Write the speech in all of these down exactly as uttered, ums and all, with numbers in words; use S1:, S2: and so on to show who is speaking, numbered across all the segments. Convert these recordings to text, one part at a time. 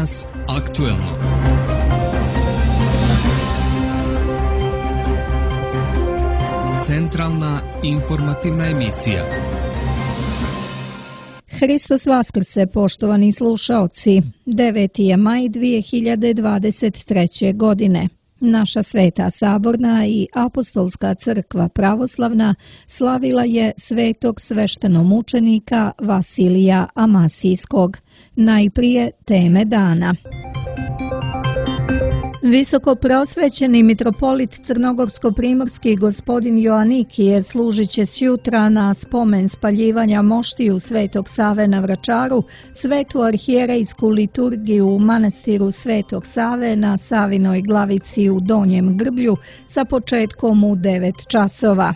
S1: Danas aktuelno. Centralna informativna emisija.
S2: Hristos vaskrse, poštovani slušaoci. deveti je maj dvije hiljade dvadeset treće. godine. Naša Sveta Saborna i Apostolska crkva pravoslavna slavila je svetog sveštenomučenika Vasilija Amasijskog. Najprije teme dana. Visoko prosvećeni mitropolit crnogorsko-primorski gospodin Joanikije služit će sjutra na spomen spaljivanja moštiju Svetog Save na Vračaru svetu arhijerejsku liturgiju u manastiru Svetog Save na Savinoj glavici u Donjem Grblju sa početkom u devet časova.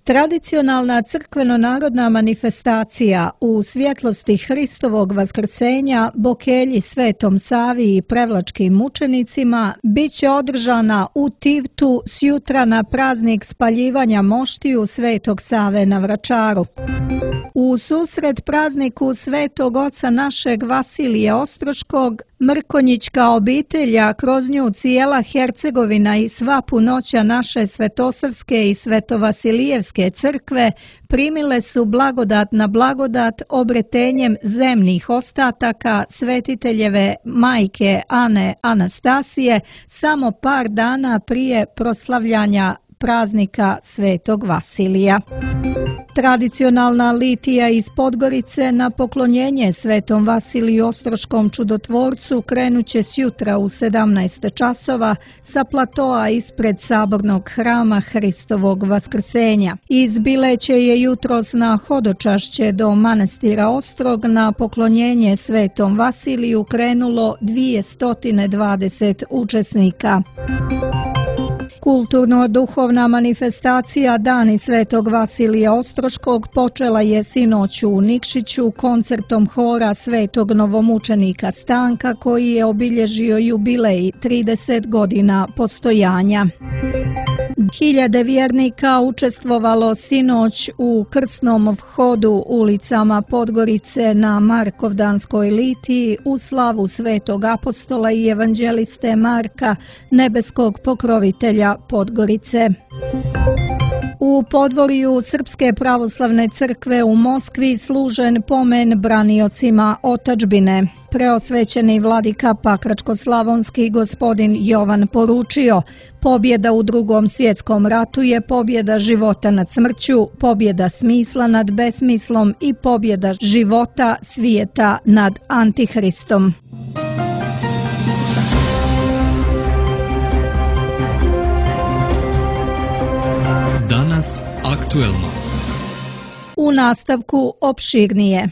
S2: Tradicionalna crkveno-narodna manifestacija u svjetlosti Hristovog vaskrsenja Bokelji Svetom Savi i prevlačkim mučenicima bit će održana u Tivtu sjutra na praznik spaljivanja moštiju Svetog Save na Vračaru. U susret prazniku Svetog Oca našeg Vasilija Ostroškog, Mrkonjićka obitelja, kroz nju cijela Hercegovina i sva punoća naše Svetosavske i Svetovasilijevske crkve primile su blagodat na blagodat obretenjem zemnih ostataka svetiteljeve majke Ane Anastasije samo par dana prije proslavljanja praznika Svetog Vasilija. Tradicionalna litija iz Podgorice na poklonjenje Svetom Vasiliju Ostroškom čudotvorcu krenuće sjutra u sedamnaest časova sa platoa ispred sabornog hrama Hristovog vaskrsenja. Iz Bileće je jutros na hodočašće do manastira Ostrog na poklonjenje Svetom Vasiliju krenulo dvjesto dvadeset učesnika. Kulturno-duhovna manifestacija Dani Svetog Vasilija Ostroškog počela je sinoć u Nikšiću koncertom hora Svetog novomučenika Stanka koji je obilježio jubilej trideset godina postojanja. Hiljade vjernika učestvovalo sinoć u krsnom vhodu ulicama Podgorice na Markovdanskoj litiji u slavu Svetog apostola i evanđeliste Marka, nebeskog pokrovitelja Podgorice. U podvorju Srpske pravoslavne crkve u Moskvi služen pomen braniocima otadžbine. Preosvećeni vladika Pakračko-slavonski gospodin Jovan poručio: pobjeda u Drugom svjetskom ratu je pobjeda života nad smrću, pobjeda smisla nad besmislom i pobjeda života svijeta nad Antihristom.
S1: Danas aktuelno.
S2: U nastavku opširnije.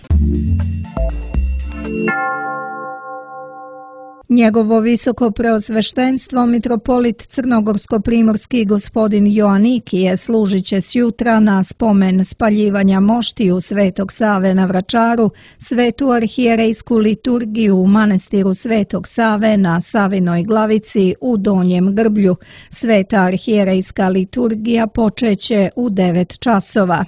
S2: Njegovo visoko preosveštenstvo mitropolit crnogorsko-primorski gospodin Joanikije služit će sjutra na spomen spaljivanja moštiju Svetog Save na Vračaru svetu arhijerejsku liturgiju u manastiru Svetog Save na Savinoj glavici u Donjem Grblju. Sveta arhijerejska liturgija počeće u devet časova.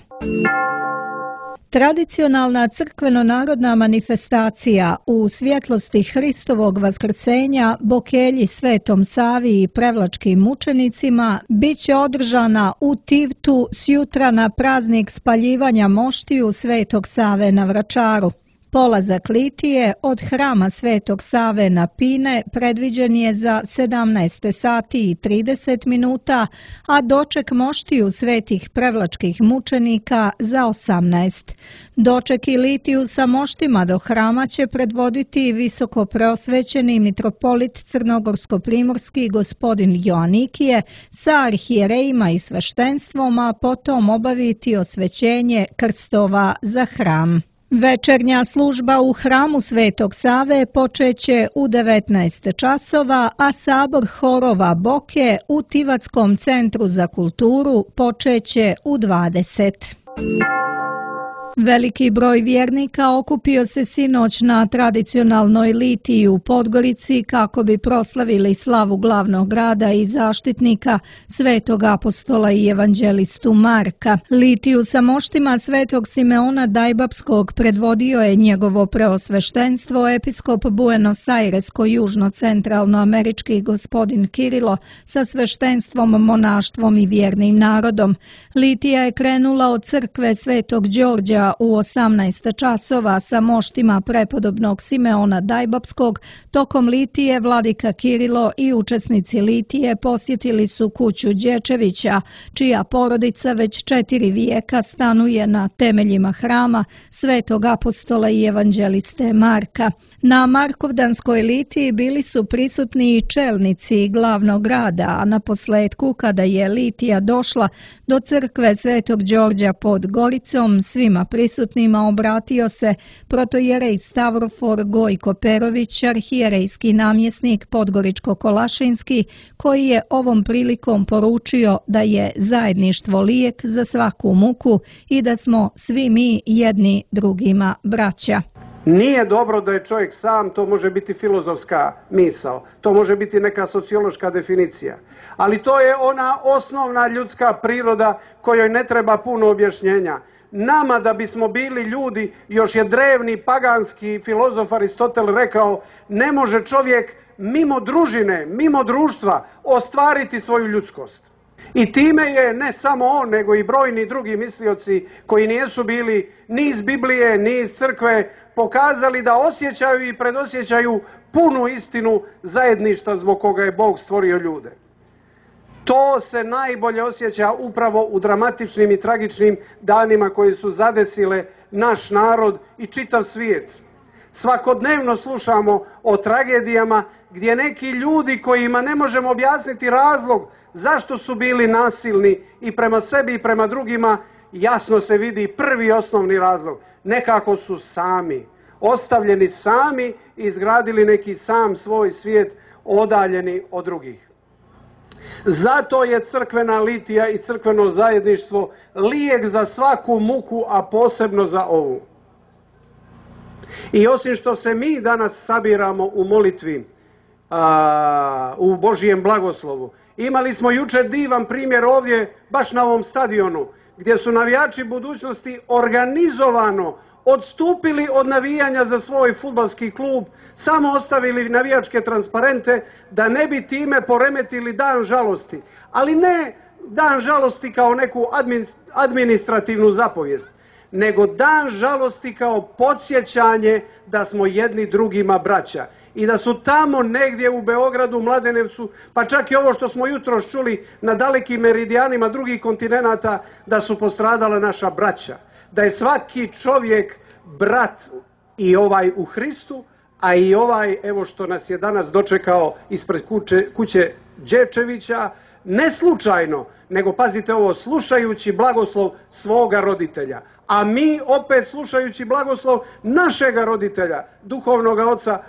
S2: Tradicionalna crkveno-narodna manifestacija u svjetlosti Hristovog vaskrsenja Bokelji Svetom Savi i prevlačkim mučenicima bit će održana u Tivtu sjutra na praznik spaljivanja moštiju Svetog Save na Vračaru. Polazak litije od hrama Svetog Save na Pine predviđen je za sedamnaest sati i trideset minuta, a doček moštiju svetih prevlačkih mučenika za osamnaest. Doček i litiju sa moštima do hrama će predvoditi visoko preosvećeni mitropolit crnogorsko-primorski gospodin Joanikije sa arhijerejima i sveštenstvom, a potom obaviti osvećenje krstova za hram. Večernja služba u hramu Svetog Save počeće u devetnaest časova, a sabor horova Boke u Tivatskom centru za kulturu počeće u dvadeset. Veliki broj vjernika okupio se sinoć na tradicionalnoj litiji u Podgorici kako bi proslavili slavu glavnog grada i zaštitnika svetog apostola i evanđelistu Marka. Litiju sa moštima svetog Simeona Dajbapskog predvodio je njegovo preosveštenstvo episkop Buenos Airesko-južno-centralnoamerički gospodin Kirilo sa sveštenstvom, monaštvom i vjernim narodom. Litija je krenula od crkve svetog Đorđa u osamnaest časova sa moštima prepodobnog Simeona Dajbapskog. Tokom litije vladika Kirilo i učesnici litije posjetili su kuću Đečevića, čija porodica već četiri vijeka stanuje na temeljima hrama svetog apostola i evanđeliste Marka. Na Markovdanskoj litiji bili su prisutni i čelnici glavnog grada, a na posljedku, kada je litija došla do crkve svetog Đorđa pod Goricom, svima prisutnima obratio se protojerej Stavrofor Gojko Perović, arhijerejski namjesnik Podgoričko-Kolašinski, koji je ovom prilikom poručio da je zajedništvo lijek za svaku muku i da smo svi mi jedni drugima braća.
S3: Nije dobro da je čovjek sam, to može biti filozofska misao, to može biti neka sociološka definicija, ali to je ona osnovna ljudska priroda kojoj ne treba puno objašnjenja. Nama da bismo bili ljudi, još je drevni paganski filozof Aristotel rekao, ne može čovjek mimo družine, mimo društva ostvariti svoju ljudskost. I time je ne samo on, nego i brojni drugi mislioci koji nisu bili ni iz Biblije, ni iz crkve, pokazali da osjećaju i predosjećaju punu istinu zajedništva zbog koga je Bog stvorio ljude. To se najbolje osjeća upravo u dramatičnim i tragičnim danima koji su zadesile naš narod i čitav svijet. Svakodnevno slušamo o tragedijama gdje neki ljudi kojima ne možemo objasniti razlog zašto su bili nasilni i prema sebi i prema drugima, jasno se vidi prvi osnovni razlog. Nekako su sami, ostavljeni sami i izgradili neki sam svoj svijet odaljeni od drugih. Zato je crkvena litija i crkveno zajedništvo lijek za svaku muku, a posebno za ovu. I osim što se mi danas sabiramo u molitvi, a, u Božijem blagoslovu, imali smo jučer divan primjer ovdje, baš na ovom stadionu, gdje su navijači budućnosti organizovano odstupili od navijanja za svoj fudbalski klub, samo ostavili navijačke transparente da ne bi time poremetili dan žalosti. Ali ne dan žalosti kao neku administrativnu zapovijest, nego dan žalosti kao podsjećanje da smo jedni drugima braća. I da su tamo negdje u Beogradu, Mladenevcu, pa čak i ovo što smo jutros čuli na dalekim meridijanima drugih kontinenata, da su postradala naša braća. Da je svaki čovjek brat i ovaj u Hristu, a i ovaj, evo što nas je danas dočekao ispred kuće, kuće Đečevića, ne slučajno, nego pazite ovo, slušajući blagoslov svoga roditelja. A mi opet slušajući blagoslov našega roditelja, duhovnog oca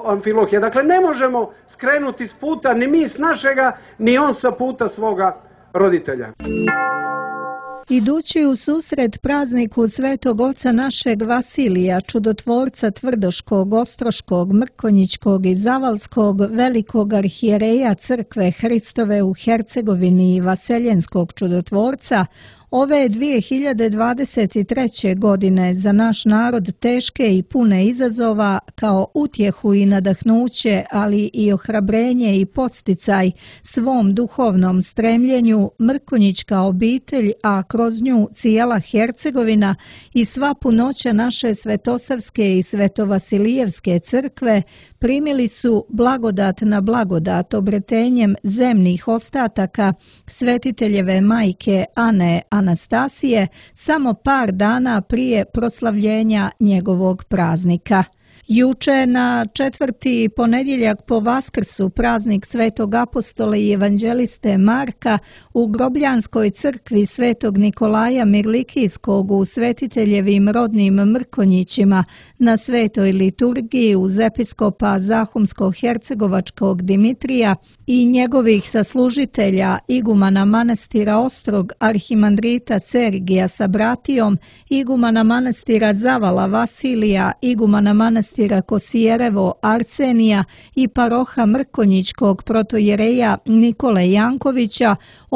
S3: Amfilohija. Dakle, ne možemo skrenuti s puta ni mi s našega, ni on sa puta svoga roditelja.
S2: Idući u susret prazniku svetog oca našeg Vasilija, čudotvorca Tvrdoškog, Ostroškog, Mrkonjićkog i Zavalskog, velikog arhijereja crkve Hristove u Hercegovini i vaseljenskog čudotvorca, ove dvije hiljade dvadeset treće. godine za naš narod teške i pune izazova kao utjehu i nadahnuće, ali i ohrabrenje i podsticaj svom duhovnom stremljenju, Mrkonjićka obitelj, a kroz nju cijela Hercegovina i sva punoća naše Svetosavske i Svetovasilijevske crkve primili su blagodat na blagodat obretenjem zemnih ostataka svetiteljeve majke Ane Anastasije samo par dana prije proslavljenja njegovog praznika. Juče na četvrti ponedjeljak po Vaskrsu, praznik svetog apostola i evanđeliste Marka, U Grobljanskoj crkvi Svetog Nikolaja Mirlikijskog u Svetiteljevim rodnim Mrkonjićima na svetoj liturgiji uz episkopa Zahumsko-hercegovačkog Dimitrija i njegovih saslužitelja igumana manastira Ostrog arhimandrita Sergija sa bratijom, igumana manastira Zavala Vasilija, igumana manastira Kosijerevo Arsenija i paroha Mrkonjićkog protojereja Nikole Jankovića,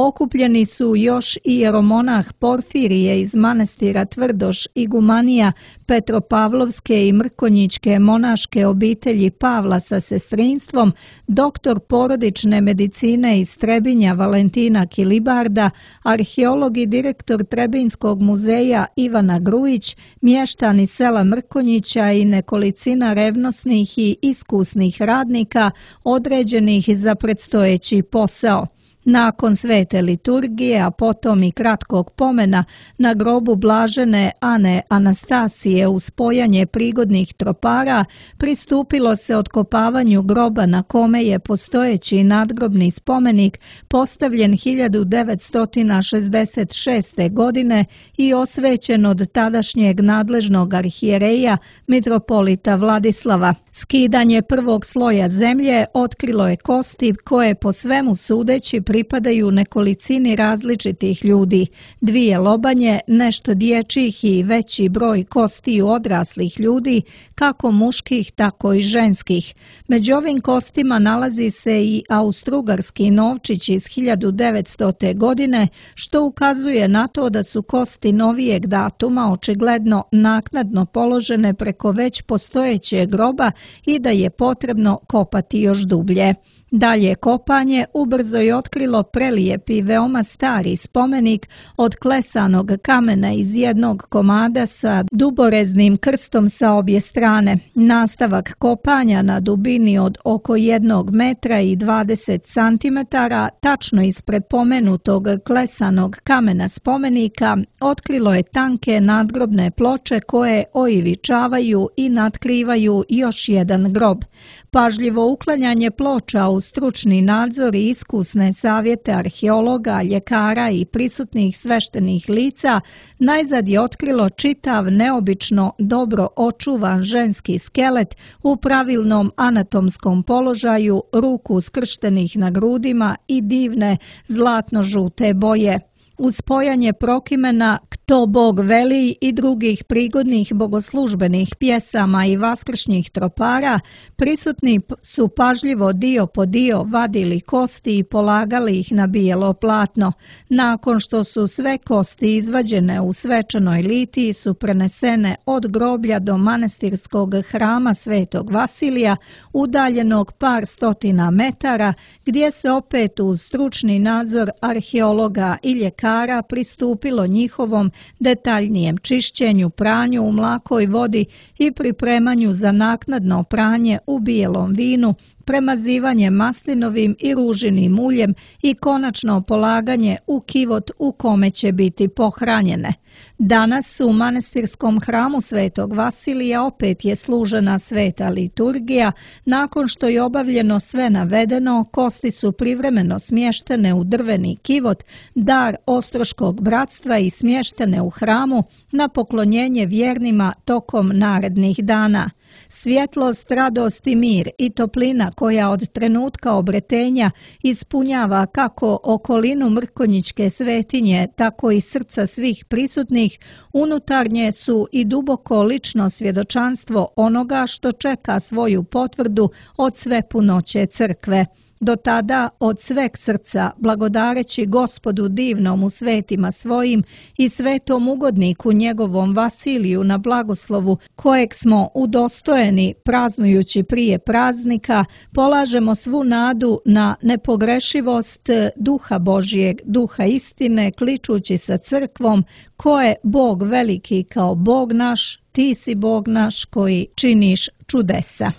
S2: okupljeni su još i jeromonah Porfirije iz manastira Tvrdoš igumanija Petropavlovske i Mrkonjićke monaške obitelji Pavla sa sestrinstvom, doktor porodične medicine iz Trebinja Valentina Kilibarda, arheolog i direktor Trebinjskog muzeja Ivana Grujić, mještani sela Mrkonjića i nekolicina revnosnih i iskusnih radnika određenih za predstojeći posao. Nakon svete liturgije, a potom i kratkog pomena na grobu blažene Ane Anastasije uz spojanje prigodnih tropara, pristupilo se otkopavanju groba na kome je postojeći nadgrobni spomenik postavljen hiljadu devetsto šezdeset šeste. godine i osvećen od tadašnjeg nadležnog arhijereja mitropolita Vladislava. Skidanje prvog sloja zemlje otkrilo je kosti koje po svemu sudeći pripadaju nekolicini različitih ljudi, dvije lobanje, nešto dječjih i veći broj kostiju odraslih ljudi, kako muških, tako i ženskih. Među ovim kostima nalazi se i austrougarski novčić iz hiljadu devetstote. godine, što ukazuje na to da su kosti novijeg datuma očigledno naknadno položene preko već postojećeg groba i da je potrebno kopati još dublje. Dalje kopanje ubrzo je otkrilo prelijep i veoma stari spomenik od klesanog kamena iz jednog komada sa duboreznim krstom sa obje strane. Nastavak kopanja na dubini od oko jednog metra i dvadeset centimetara, tačno ispred pomenutog klesanog kamena spomenika, otkrilo je tanke nadgrobne ploče koje oivičavaju i natkrivaju još jedan grob. Pažljivo uklanjanje ploča u stručni nadzor i iskusne savjete arheologa, ljekara i prisutnih sveštenih lica najzad je otkrilo čitav neobično dobro očuvan ženski skelet u pravilnom anatomskom položaju, ruku skrštenih na grudima i divne zlatno-žute boje. Uz spojanje prokimena "Kto Bog veli" i drugih prigodnih bogoslužbenih pjesama i vaskršnjih tropara, prisutni su pažljivo dio po dio vadili kosti i polagali ih na bijelo platno. Nakon što su sve kosti izvađene u svečanoj litiji su prenesene od groblja do manastirskog hrama Svetog Vasilija, udaljenog par stotina metara, gdje se opet uz stručni nadzor arheologa i ljekara pristupilo njihovom detaljnijem čišćenju, pranju u mlakoj vodi i pripremanju za naknadno pranje u bijelom vinu, premazivanje maslinovim i ružinim uljem i konačno polaganje u kivot u kome će biti pohranjene. Danas u manastirskom hramu Svetog Vasilija opet je služena sveta liturgija. Nakon što je obavljeno sve navedeno, kosti su privremeno smještene u drveni kivot, dar Ostroškog bratstva, i smještene u hramu na poklonjenje vjernima tokom narednih dana. Svjetlost, radost i mir i toplina koja od trenutka obretenja ispunjava kako okolinu Mrkonjićke svetinje, tako i srca svih prisutnih, unutarnje su i duboko lično svjedočanstvo onoga što čeka svoju potvrdu od svepunoće crkve. Do tada od sveg srca, blagodareći Gospodu divnom u svetima svojim i svetom ugodniku njegovom Vasiliju na blagoslovu, kojeg smo udostojeni praznujući prije praznika, polažemo svu nadu na nepogrešivost Duha Božijeg, Duha istine, kličući sa crkvom: ko je Bog veliki kao Bog naš, ti si Bog naš koji činiš čudesa.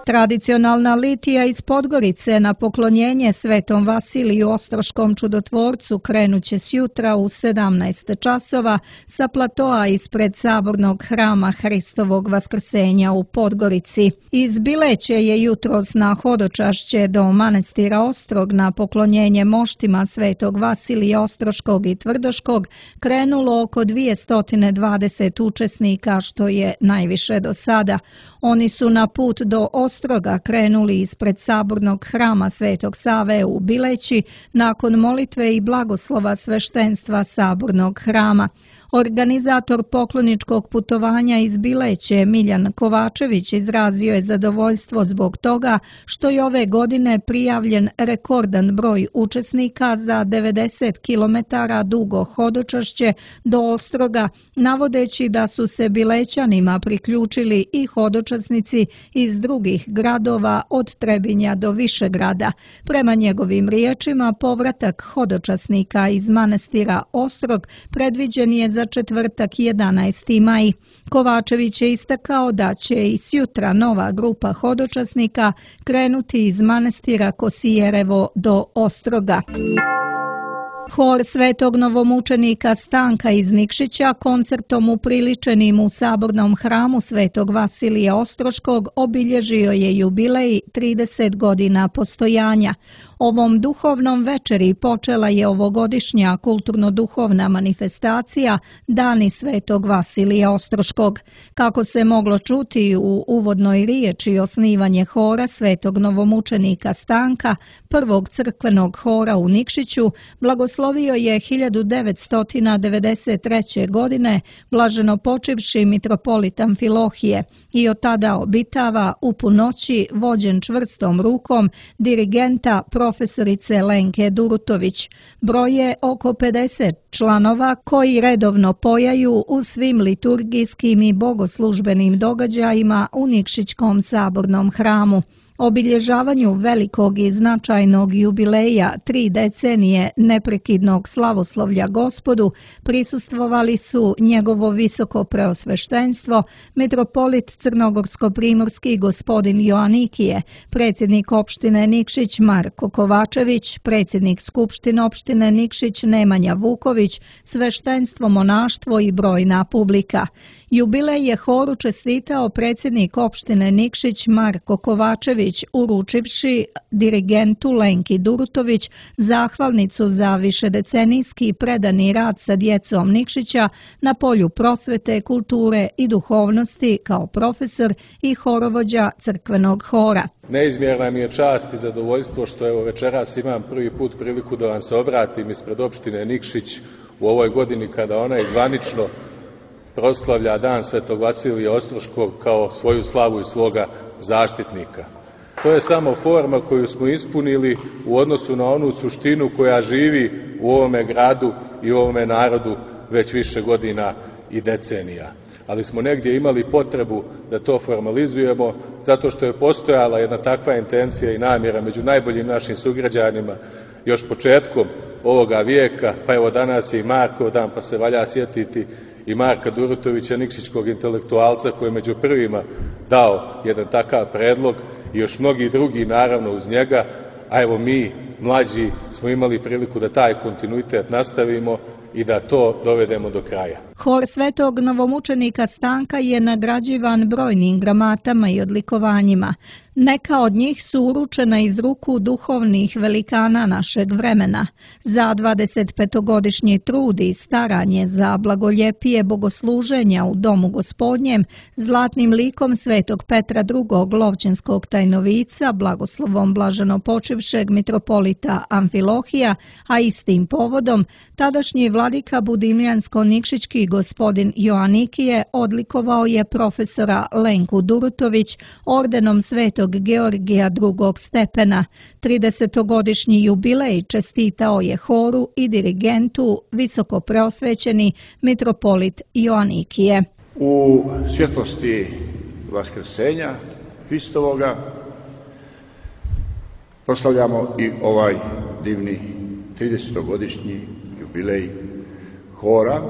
S2: Tradicionalna litija iz Podgorice na poklonjenje Svetom Vasiliju Ostroškom čudotvorcu krenuće sjutra u sedamnaest časova sa platoa ispred sabornog hrama Hristovog vaskrsenja u Podgorici. Iz Bileće je jutros na hodočašće do manastira Ostrog na poklonjenje moštima Svetog Vasilija Ostroškog i Tvrdoškog krenulo oko dvjesto dvadeset učesnika, što je najviše do sada. Oni su na put do Ostroga krenuli ispred sabornog hrama Svetog Save u Bileći nakon molitve i blagoslova sveštenstva sabornog hrama. Organizator pokloničkog putovanja iz Bileće, Miljan Kovačević, izrazio je zadovoljstvo zbog toga što je ove godine prijavljen rekordan broj učesnika za devedeset kilometara dugo hodočašće do Ostroga, navodeći da su se Bilećanima priključili i hodočasnici iz drugih gradova od Trebinja do Višegrada. Prema njegovim riječima, povratak hodočasnika iz manastira Ostrog predviđen je za četvrtak jedanaesti maj. Kovačević je istakao da će i sjutra nova grupa hodočasnika krenuti iz manastira Kosijerevo do Ostroga. Hor Svetog novomučenika Stanka iz Nikšića koncertom upriličenim u sabornom hramu Svetog Vasilija Ostroškog obilježio je jubilej trideset godina postojanja. Ovom duhovnom večeri počela je ovogodišnja kulturno-duhovna manifestacija Dani Svetog Vasilija Ostroškog. Kako se moglo čuti u uvodnoj riječi, osnivanje hora Svetog novomučenika Stanka, prvog crkvenog hora u Nikšiću, blagoslovio je hiljadu devetsto devedeset treće. godine blaženopočivši mitropolit Amfilohije i od tada obitava u punoći vođen čvrstom rukom dirigenta profesorice Lenke Durutović. Broje oko pedeset članova koji redovno pojaju u svim liturgijskim i bogoslužbenim događajima u Nikšićkom sabornom hramu. Obilježavanju velikog i značajnog jubileja tri decenije neprekidnog slavoslovlja Gospodu prisustvovali su njegovo visoko preosveštenstvo, mitropolit crnogorsko-primorski gospodin Joanikije, predsjednik opštine Nikšić Marko Kovačević, predsjednik skupštine opštine Nikšić Nemanja Vuković, sveštenstvo, monaštvo i brojna publika. Jubilej je horu čestitao predsjednik opštine Nikšić Marko Kovačević, uručivši dirigentu Lenki Durutović zahvalnicu za višedecenijski predani rad sa djecom Nikšića na polju prosvete, kulture i duhovnosti kao profesor i horovođa crkvenog hora.
S4: Neizmjerna mi je čast i zadovoljstvo što evo večeras imam prvi put priliku da vam se obratim ispred opštine Nikšić u ovoj godini kada ona zvanično proslavlja Dan Svetog Vasilija Ostroškog kao svoju slavu i svoga zaštitnika. To je samo forma koju smo ispunili u odnosu na onu suštinu koja živi u ovome gradu i u ovome narodu već više godina i decenija. Ali smo negdje imali potrebu da to formalizujemo zato što je postojala jedna takva intencija i namjera među najboljim našim sugrađanima još početkom ovoga vijeka, pa evo danas je i Markov dan, pa se valja sjetiti i Marka Durutovića, nikšićkog intelektualca koji je među prvima dao jedan takav predlog i još mnogi drugi naravno uz njega, a evo mi mlađi smo imali priliku da taj kontinuitet nastavimo i da to dovedemo do kraja.
S2: Hor Svetog novomučenika Stanka je nagrađivan brojnim gramatama i odlikovanjima. Neka od njih su uručena iz ruku duhovnih velikana našeg vremena. Za dvadesetpetogodišnji trud i staranje za blagoljepije bogosluženja u Domu Gospodnjem, zlatnim likom Svetog Petra drugog. Lovćenskog tajnovica, blagoslovom blaženopočivšeg mitropolita Amfilohija, a istim povodom, tadašnji vladika Budimljansko-Nikšićki gospodin Joanikije odlikovao je profesora Lenku Durutović ordenom Svetog Georgija drugog. stepena. tridesetogodišnji jubilej čestitao je horu i dirigentu visoko preosvećeni mitropolit Joanikije.
S5: U svjetlosti vaskrsenja Hristovoga proslavljamo i ovaj divni tridesetogodišnji jubilej hora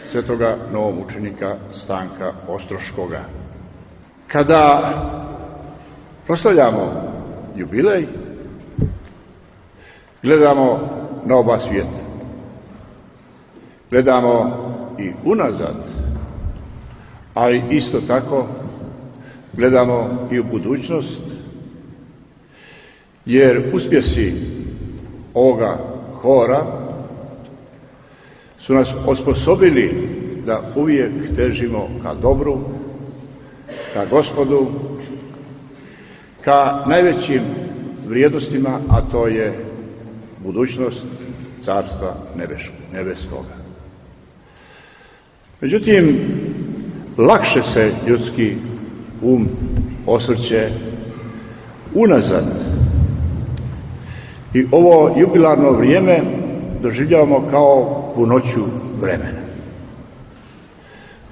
S5: Svetoga novomučenika Stanka Ostroškoga. Kada Proslavljamo jubilej, gledamo na oba svijeta. Gledamo i unazad, ali isto tako gledamo i u budućnost, jer uspjesi ovoga hora su nas osposobili da uvijek težimo ka dobru, ka Gospodu, ka najvećim vrijednostima, a to je budućnost Carstva nebeskoga. Međutim, lakše se ljudski um osvrće unazad i ovo jubilarno vrijeme doživljavamo kao punoću vremena.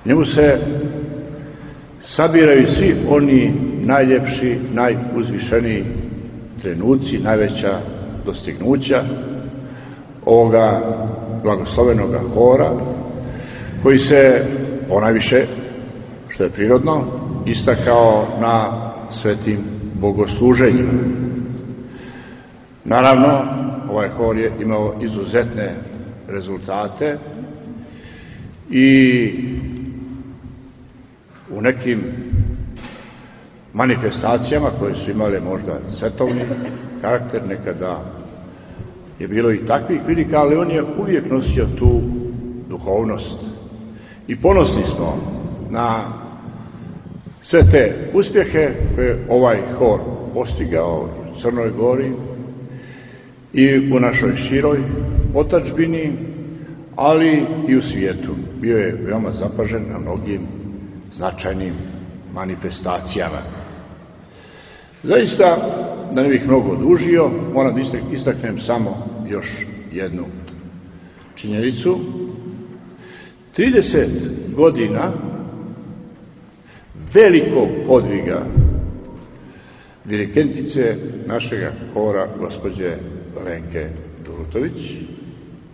S5: U njemu se sabiraju svi oni najljepši, najuzvišeniji trenuci, najveća dostignuća ovoga blagoslovenoga hora, koji se ponajviše, što je prirodno, istakao na svetim bogosluženjima. Naravno, ovaj hor je imao izuzetne rezultate i u nekim manifestacijama koje su imale možda svetovni karakter, nekada je bilo i takvih prilika, ali on je uvijek nosio tu duhovnost. I ponosni smo na sve te uspjehe koje ovaj hor postigao u Crnoj Gori i u našoj široj otadžbini, ali i u svijetu. Bio je veoma zapažen na mnogim značajnim manifestacijama. Zaista, da ne bih mnogo dužio, moram da istaknem samo još jednu činjenicu. trideset godina velikog podviga dirigentice našega hora, gospođe Lenke Durutović.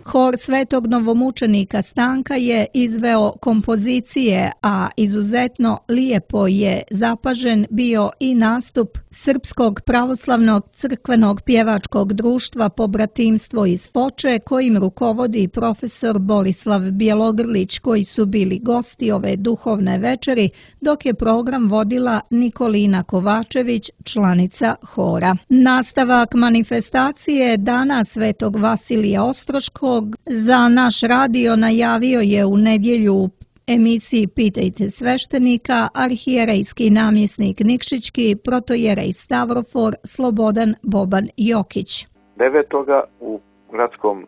S2: Hor Svetog novomučenika Stanka je izveo kompozicije, a izuzetno lijepo je zapažen bio i nastup Srpskog pravoslavnog crkvenog pjevačkog društva Pobratimstvo iz Foče, kojim rukovodi profesor Borislav Bjelogrlić, koji su bili gosti ove duhovne večeri, dok je program vodila Nikolina Kovačević, članica hora. Nastavak manifestacije Dana Svetog Vasilija Ostroškog za naš radio najavio je u nedjelju u emisiji Pitajte sveštenika arhijerejski namjesnik Nikšićki protojerej Stavrofor Slobodan Boban Jokić.
S6: devetoga u gradskom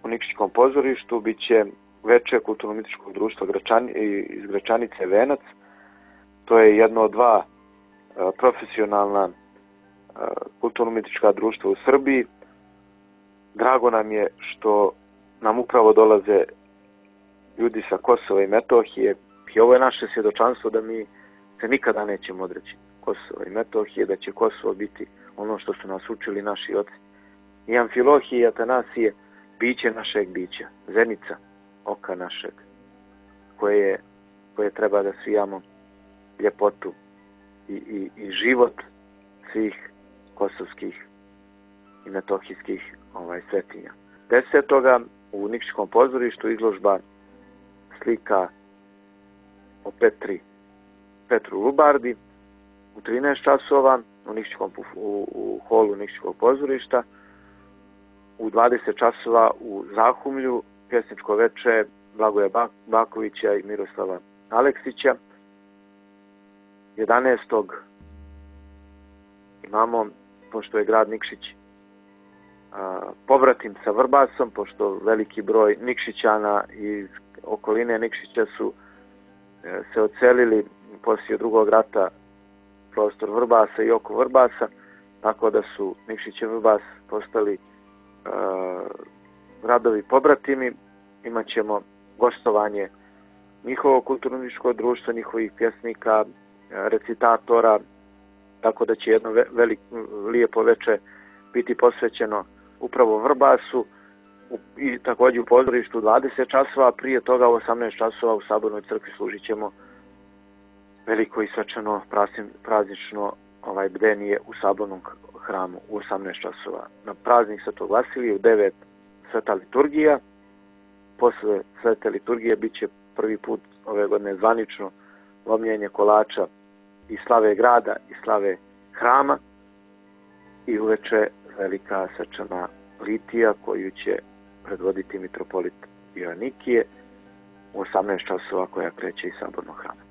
S6: u Nikšićkom pozorištu bit će veče kulturno-umjetničkog društva Gračani, iz Gračanice Venac. To je jedno od dva profesionalna kulturno-umjetnička društva u Srbiji. Drago nam je što nam upravo dolaze ljudi sa Kosova i Metohije i ovo je naše svjedočanstvo da mi se nikada nećemo odreći Kosova i Metohije, da će Kosovo biti ono što su nas učili naši oci. I Amfilohije i Atanasije, biće našeg bića, zenica oka našeg, koje, koje treba da svijamo ljepotu i, i, i život svih kosovskih i metohijskih ovaj, svetinja. Desetoga u Nikšićkom pozorištu izložba slika o Petri, Petru Lubardi u trinaest časova u, Nikšićkom, u, u holu Nikšićkog pozorišta. U dvadeset časova u Zahumlju pjesničko veče Blagoja Bakovića i Miroslava Aleksića. jedanaestog imamo, pošto je grad Nikšić pobratim sa Vrbasom, pošto veliki broj Nikšićana iz okoline Nikšića su se odselili poslije drugog rata prostor Vrbasa i oko Vrbasa, tako da su Nikšić i Vrbas postali uh, gradovi pobratimi. Imaćemo gostovanje njihovog kulturno-umjetničkog društva, njihovih pjesnika, recitatora, tako da će jedno velik, lijepo veče biti posvećeno upravo Vrbasu i također u pozorištu dvadeset časova, a prije toga u osamnaest časova u Sabornoj crkvi služit ćemo veliko i svečano praznično ovaj bdenije u sabornom hramu u osamnaest časova. Na praznik Svetog Vasilija u devet sveta liturgija. Posle svete liturgije bit će prvi put ove godine zvanično lomljenje kolača i slave grada i slave hrama i uveče velika svečana litija koju će predvoditi mitropolit Joanikije u osamnaest časova koja kreće iz sabornog hrama.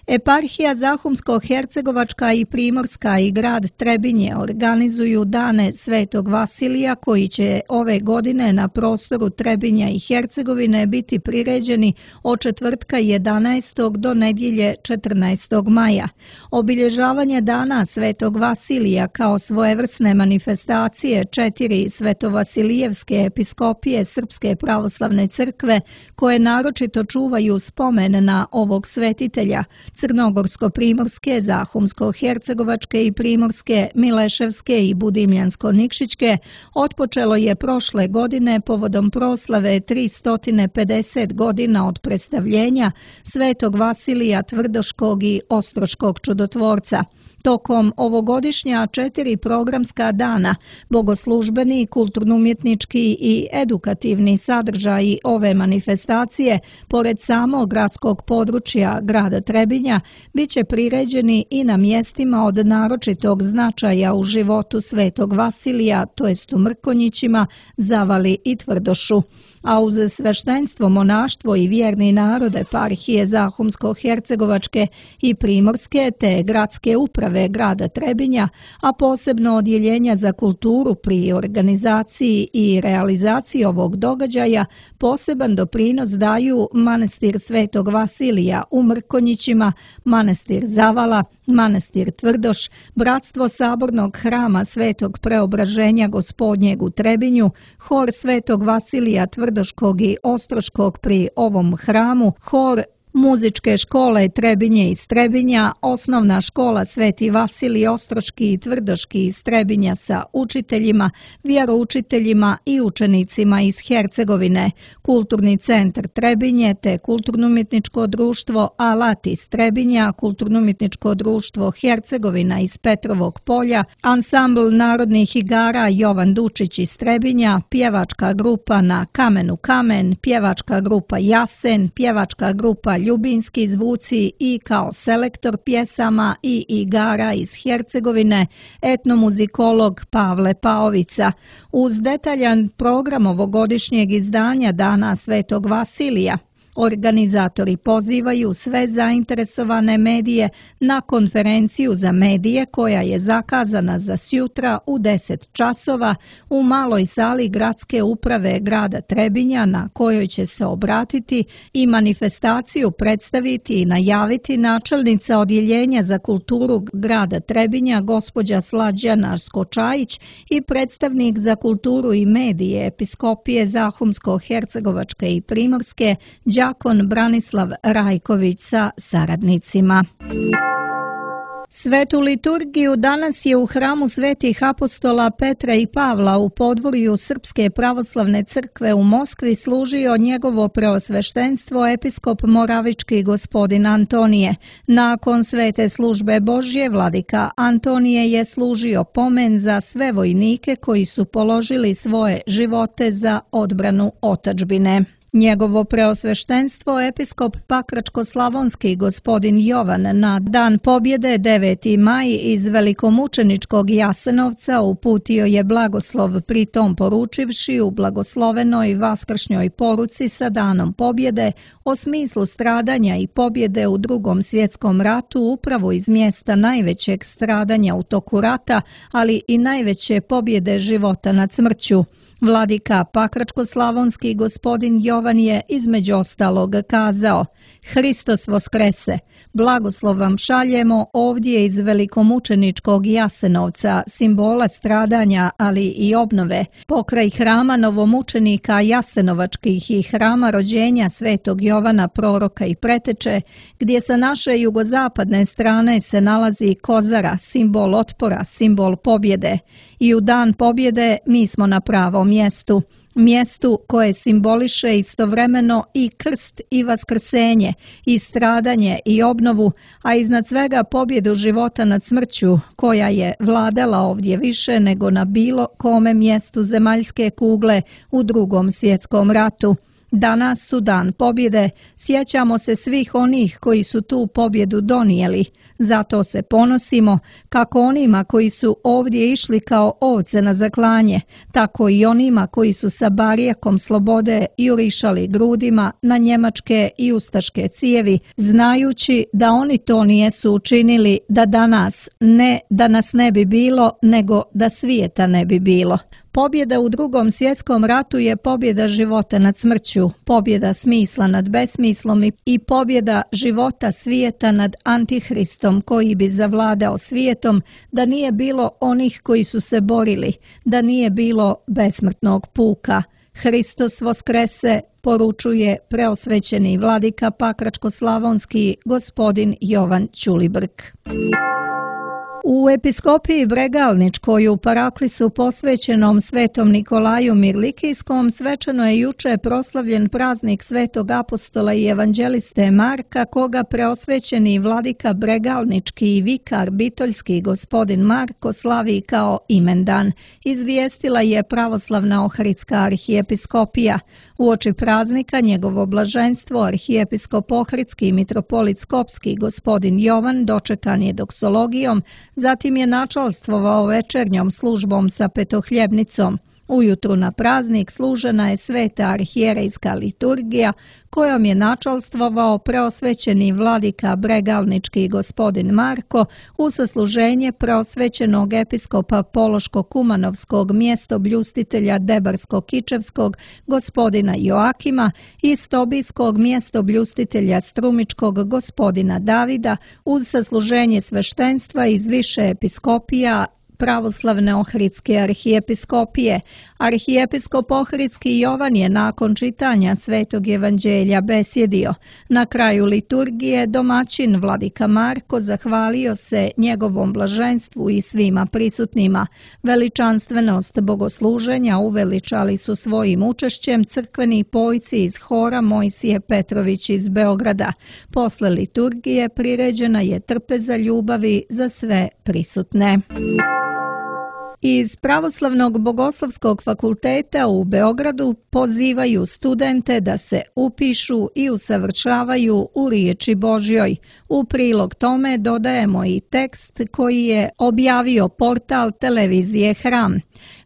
S2: Eparhija Zahumsko-Hercegovačka i Primorska i grad Trebinje organizuju dane Svetog Vasilija koji će ove godine na prostoru Trebinja i Hercegovine biti priređeni od četvrtka jedanaestog do nedjelje četrnaestog maja. Obilježavanje dana Svetog Vasilija kao svojevrsne manifestacije četiri svetovasilijevske episkopije Srpske pravoslavne crkve koje naročito čuvaju spomen na ovog svetitelja, Crnogorsko-primorske, Zahumsko-hercegovačke i primorske, Mileševske i Budimljansko-nikšićke, otpočelo je prošle godine povodom proslave tristo pedeset godina od predstavljenja Svetog Vasilija Tvrdoškog i Ostroškog čudotvorca. Tokom ovogodišnja četiri programska dana, bogoslužbeni, kulturno-umjetnički i edukativni sadržaji ove manifestacije, pored samog gradskog područja grada Trebinja, bit će priređeni i na mjestima od naročitog značaja u životu Svetog Vasilija, to jest u Mrkonjićima, Zavali i Tvrdošu. A uz sveštenstvo, monaštvo i vjerni narod eparhije Zahumsko-hercegovačke i Primorske te gradske uprave grada Trebinja, a posebno odjeljenja za kulturu pri organizaciji i realizaciji ovog događaja, poseban doprinos daju manastir Svetog Vasilija u Mrkonjićima, manastir Zavala, manastir Tvrdoš, bratstvo sabornog hrama Svetog Preobraženja Gospodnjeg u Trebinju, hor Svetog Vasilija Tvrdoškog i Ostroškog pri ovom hramu, hor muzičke škole Trebinje iz Trebinja, osnovna škola Sveti Vasilij Ostroški i Tvrdoški iz Trebinja sa učiteljima, vjeroučiteljima i učenicima iz Hercegovine, Kulturni centar Trebinje te Kulturno-umjetničko društvo Alat iz Trebinja, Kulturno-umjetničko društvo Hercegovina iz Petrovog polja, ansambl narodnih igara Jovan Dučić iz Trebinja, pjevačka grupa Na kamenu kamen, pjevačka grupa Jasen, pjevačka grupa Ljubinski zvuci i kao selektor pjesama i igara iz Hercegovine, etnomuzikolog Pavle Paovica. Uz detaljan program ovogodišnjeg izdanja Dana Svetog Vasilija, organizatori pozivaju sve zainteresovane medije na konferenciju za medije koja je zakazana za sjutra u deset časova u maloj sali gradske uprave grada Trebinja, na kojoj će se obratiti i manifestaciju predstaviti i najaviti načelnica odjeljenja za kulturu grada Trebinja gospođa Slađana Skočajić i predstavnik za kulturu i medije episkopije Zahumsko-hercegovačke i Primorske đakon Branislav Rajković sa saradnicima. Svetu liturgiju danas je u hramu svetih apostola Petra i Pavla u podvorju Srpske pravoslavne crkve u Moskvi služio njegovo preosveštenstvo episkop Moravički gospodin Antonije. Nakon svete službe Božje, vladika Antonije je služio pomen za sve vojnike koji su položili svoje živote za odbranu otadžbine. Njegovo preosveštenstvo episkop Pakračko-slavonski gospodin Jovan na Dan pobjede deveti maj iz velikomučeničkog Jasenovca uputio je blagoslov, pritom poručivši u blagoslovenoj vaskršnjoj poruci sa Danom pobjede o smislu stradanja i pobjede u Drugom svjetskom ratu upravo iz mjesta najvećeg stradanja u toku rata, ali i najveće pobjede života nad smrću. Vladika Pakračko-slavonski gospodin Jovan je između ostalog kazao: Hristos voskrese, blagoslov vam šaljemo ovdje iz velikomučeničkog Jasenovca, simbola stradanja, ali i obnove, pokraj hrama novomučenika Jasenovačkih i hrama rođenja svetog Jovana proroka i preteče, gdje sa naše jugozapadne strane se nalazi kozara, simbol otpora, simbol pobjede. I u dan pobjede mi smo na pravom mjestu. mjestu koje simboliše istovremeno i krst i vaskrsenje, i stradanje i obnovu, a iznad svega pobjedu života nad smrću, koja je vladala ovdje više nego na bilo kome mjestu zemaljske kugle u Drugom svjetskom ratu. Danas su dan pobjede, sjećamo se svih onih koji su tu pobjedu donijeli, zato se ponosimo kako onima koji su ovdje išli kao ovce na zaklanje, tako i onima koji su sa barijakom slobode jurišali grudima na njemačke i ustaške cijevi, znajući da oni to nijesu učinili da danas, ne da nas ne bi bilo, nego da svijeta ne bi bilo. Pobjeda u Drugom svjetskom ratu je pobjeda života nad smrću, pobjeda smisla nad besmislom i, i pobjeda života svijeta nad Antihristom koji bi zavladao svijetom da nije bilo onih koji su se borili, da nije bilo besmrtnog puka. Hristos voskrese, poručuje preosvećeni vladika Pakračko-slavonski gospodin Jovan Ćulibrk. U episkopiji Bregalničkoj u Paraklisu posvećenom svetom Nikolaju Mirlikijskom svečano je juče proslavljen praznik svetog apostola i evanđeliste Marka, koga preosvećeni vladika Bregalnički i vikar Bitoljski gospodin Marko slavi kao imendan, izvijestila je pravoslavna Ohridska arhijepiskopija. Uoči praznika njegovo blaženstvo arhijepiskop Ohridski mitropolit Skopski gospodin Jovan dočekan je doksologijom, zatim je načalstvovao večernjom službom sa petohljebnicom. Ujutru na praznik služena je sveta arhijerejska liturgija kojom je načalstvovao preosvećeni vladika Bregalnički gospodin Marko u sasluženje preosvećenog episkopa Pološko-Kumanovskog mjestobljustitelja Debarsko-Kičevskog gospodina Joakima i stobijskog mjestobljustitelja Strumičkog gospodina Davida uz sasluženje sveštenstva iz više episkopija pravoslavne Ohridske arhijepiskopije. Arhijepiskop Ohridski Jovan je nakon čitanja Svetog evanđelja besjedio. Na kraju liturgije domaćin vladika Marko zahvalio se njegovom blaženstvu i svima prisutnima. Veličanstvenost bogosluženja uveličali su svojim učešćem crkveni pojci iz hora Mojsije Petrović iz Beograda. Posle liturgije priređena je trpeza ljubavi za sve prisutne. Iz Pravoslavnog bogoslovskog fakulteta u Beogradu pozivaju studente da se upišu i usavršavaju u riječi Božjoj. U prilog tome dodajemo i tekst koji je objavio portal televizije Hram.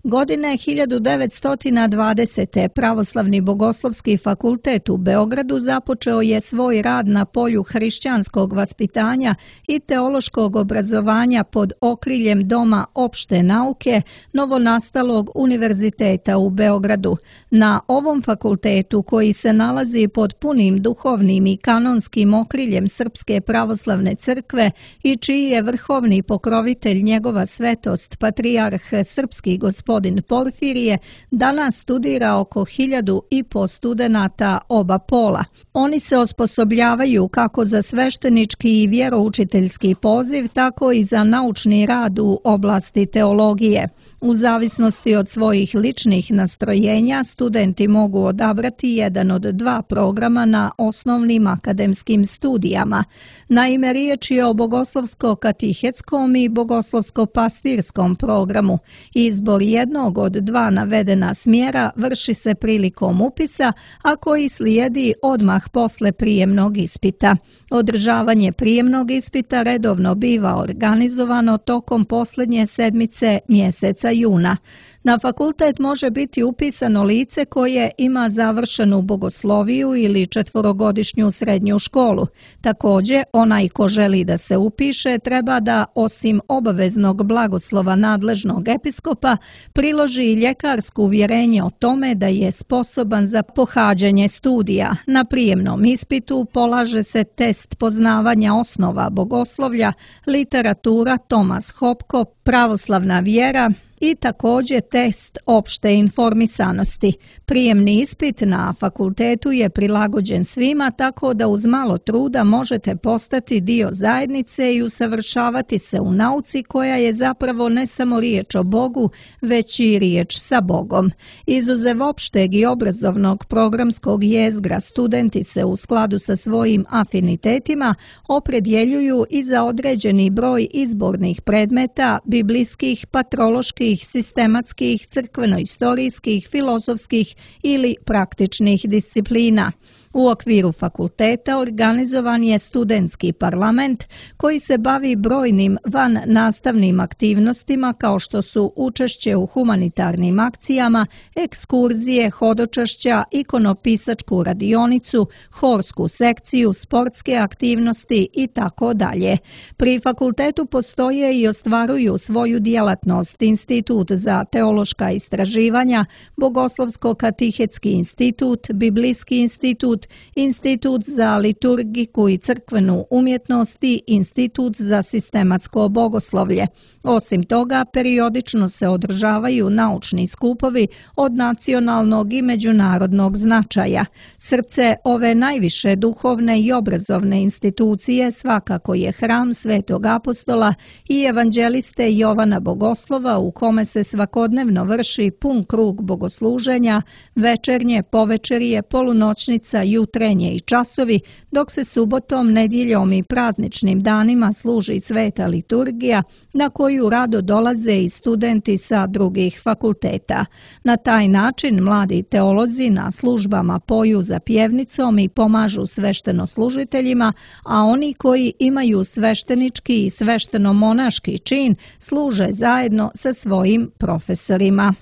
S2: Godine hiljadu devetsto dvadesete. Pravoslavni bogoslovski fakultet u Beogradu započeo je svoj rad na polju hrišćanskog vaspitanja i teološkog obrazovanja pod okriljem Doma opšte nauke novonastalog univerziteta u Beogradu. Na ovom fakultetu, koji se nalazi pod punim duhovnim i kanonskim okriljem Srpske pravoslavne crkve i čiji je vrhovni pokrovitelj njegova svetost patrijarh srpski gospodin Porfirije, danas studira oko hiljadu i po studenata oba pola. Oni se osposobljavaju kako za sveštenički i vjeroučiteljski poziv, tako i za naučni rad u oblasti teologije. U zavisnosti od svojih ličnih nastrojenja, studenti mogu odabrati jedan od dva programa na osnovnim akademskim studijama. Naime, riječ je o bogoslovsko-katihetskom i bogoslovsko-pastirskom programu. Izbor jednog od dva navedena smjera vrši se prilikom upisa, a koji slijedi odmah posle prijemnog ispita. Održavanje prijemnog ispita redovno biva organizovano tokom posljednje sedmice mjeseca juna. Na fakultet može biti upisano lice koje ima završenu bogosloviju ili četvorogodišnju srednju školu. Također, onaj ko želi da se upiše treba da, osim obaveznog blagoslova nadležnog episkopa, priloži i ljekarsko uvjerenje o tome da je sposoban za pohađanje studija. Na prijemnom ispitu polaže se test poznavanja osnova bogoslovlja, literatura Tomas Hopko, pravoslavna vjera, i također test opšte informisanosti. Prijemni ispit na fakultetu je prilagođen svima, tako da uz malo truda možete postati dio zajednice i usavršavati se u nauci koja je zapravo ne samo riječ o Bogu, već i riječ sa Bogom. Izuzev opšteg i obrazovnog programskog jezgra, studenti se u skladu sa svojim afinitetima opredjeljuju i za određeni broj izbornih predmeta, biblijskih, patroloških, sistematskih, crkveno-istorijskih, filozofskih ili praktičnih disciplina. U okviru fakulteta organizovan je studentski parlament koji se bavi brojnim van nastavnim aktivnostima kao što su učešće u humanitarnim akcijama, ekskurzije, hodočašća, ikonopisačku radionicu, horsku sekciju, sportske aktivnosti i tako dalje. Pri fakultetu postoje i ostvaruju svoju djelatnost Institut za teološka istraživanja, Bogoslovsko-katehetski institut, Biblijski institut, Institut za liturgiku i crkvenu umjetnost i Institut za sistematsko bogoslovlje. Osim toga, periodično se održavaju naučni skupovi od nacionalnog i međunarodnog značaja. Srce ove najviše duhovne i obrazovne institucije svakako je hram Svetog apostola i evanđeliste Jovana Bogoslova, u kome se svakodnevno vrši pun krug bogosluženja, večernje, povečerije, polunoćnica, jutrenje i časovi, dok se subotom, nedjeljom i prazničnim danima služi sveta liturgija na koju rado dolaze i studenti sa drugih fakulteta. Na taj način mladi teolozi na službama poju za pjevnicom i pomažu sveštenoslужiteljima, a oni koji imaju sveštenički i svešteno-monaški čin služe zajedno sa svojim profesorima.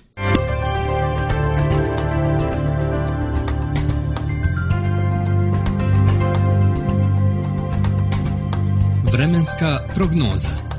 S1: Vremenska prognoza.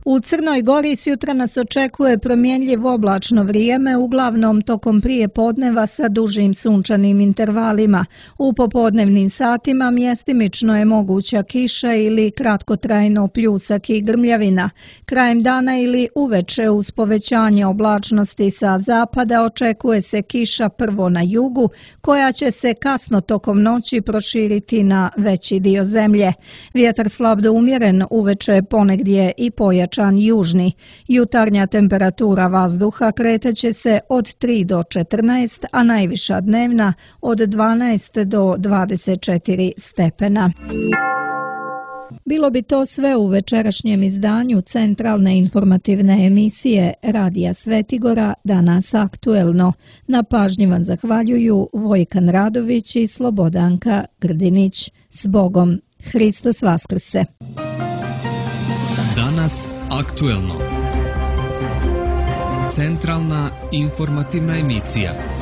S2: U Crnoj Gori sjutra nas očekuje promjenjivo oblačno vrijeme, uglavnom tokom prije podneva sa dužim sunčanim intervalima. U popodnevnim satima mjestimično je moguća kiša ili kratkotrajno pljusak i grmljavina. Krajem dana ili uveče uz povećanje oblačnosti sa zapada očekuje se kiša prvo na jugu, koja će se kasno tokom noći proširiti na veći dio zemlje. Vjetar slab do umjeren, uveče ponegdje i pojačan južni. Jutarnja temperatura vazduha kreteće se od tri do četrnaest, a najviša dnevna od dvanaest do dvadeset četiri stepena. Bilo bi to sve u večerašnjem izdanju centralne informativne emisije Radija Svetigora, danas aktuelno. Na pažnji vam zahvaljuju Vojkan Radović i Slobodanka Grdinić. S Bogom, Hristos Vaskrse!
S1: Danas aktuelno. Centralna informativna emisija.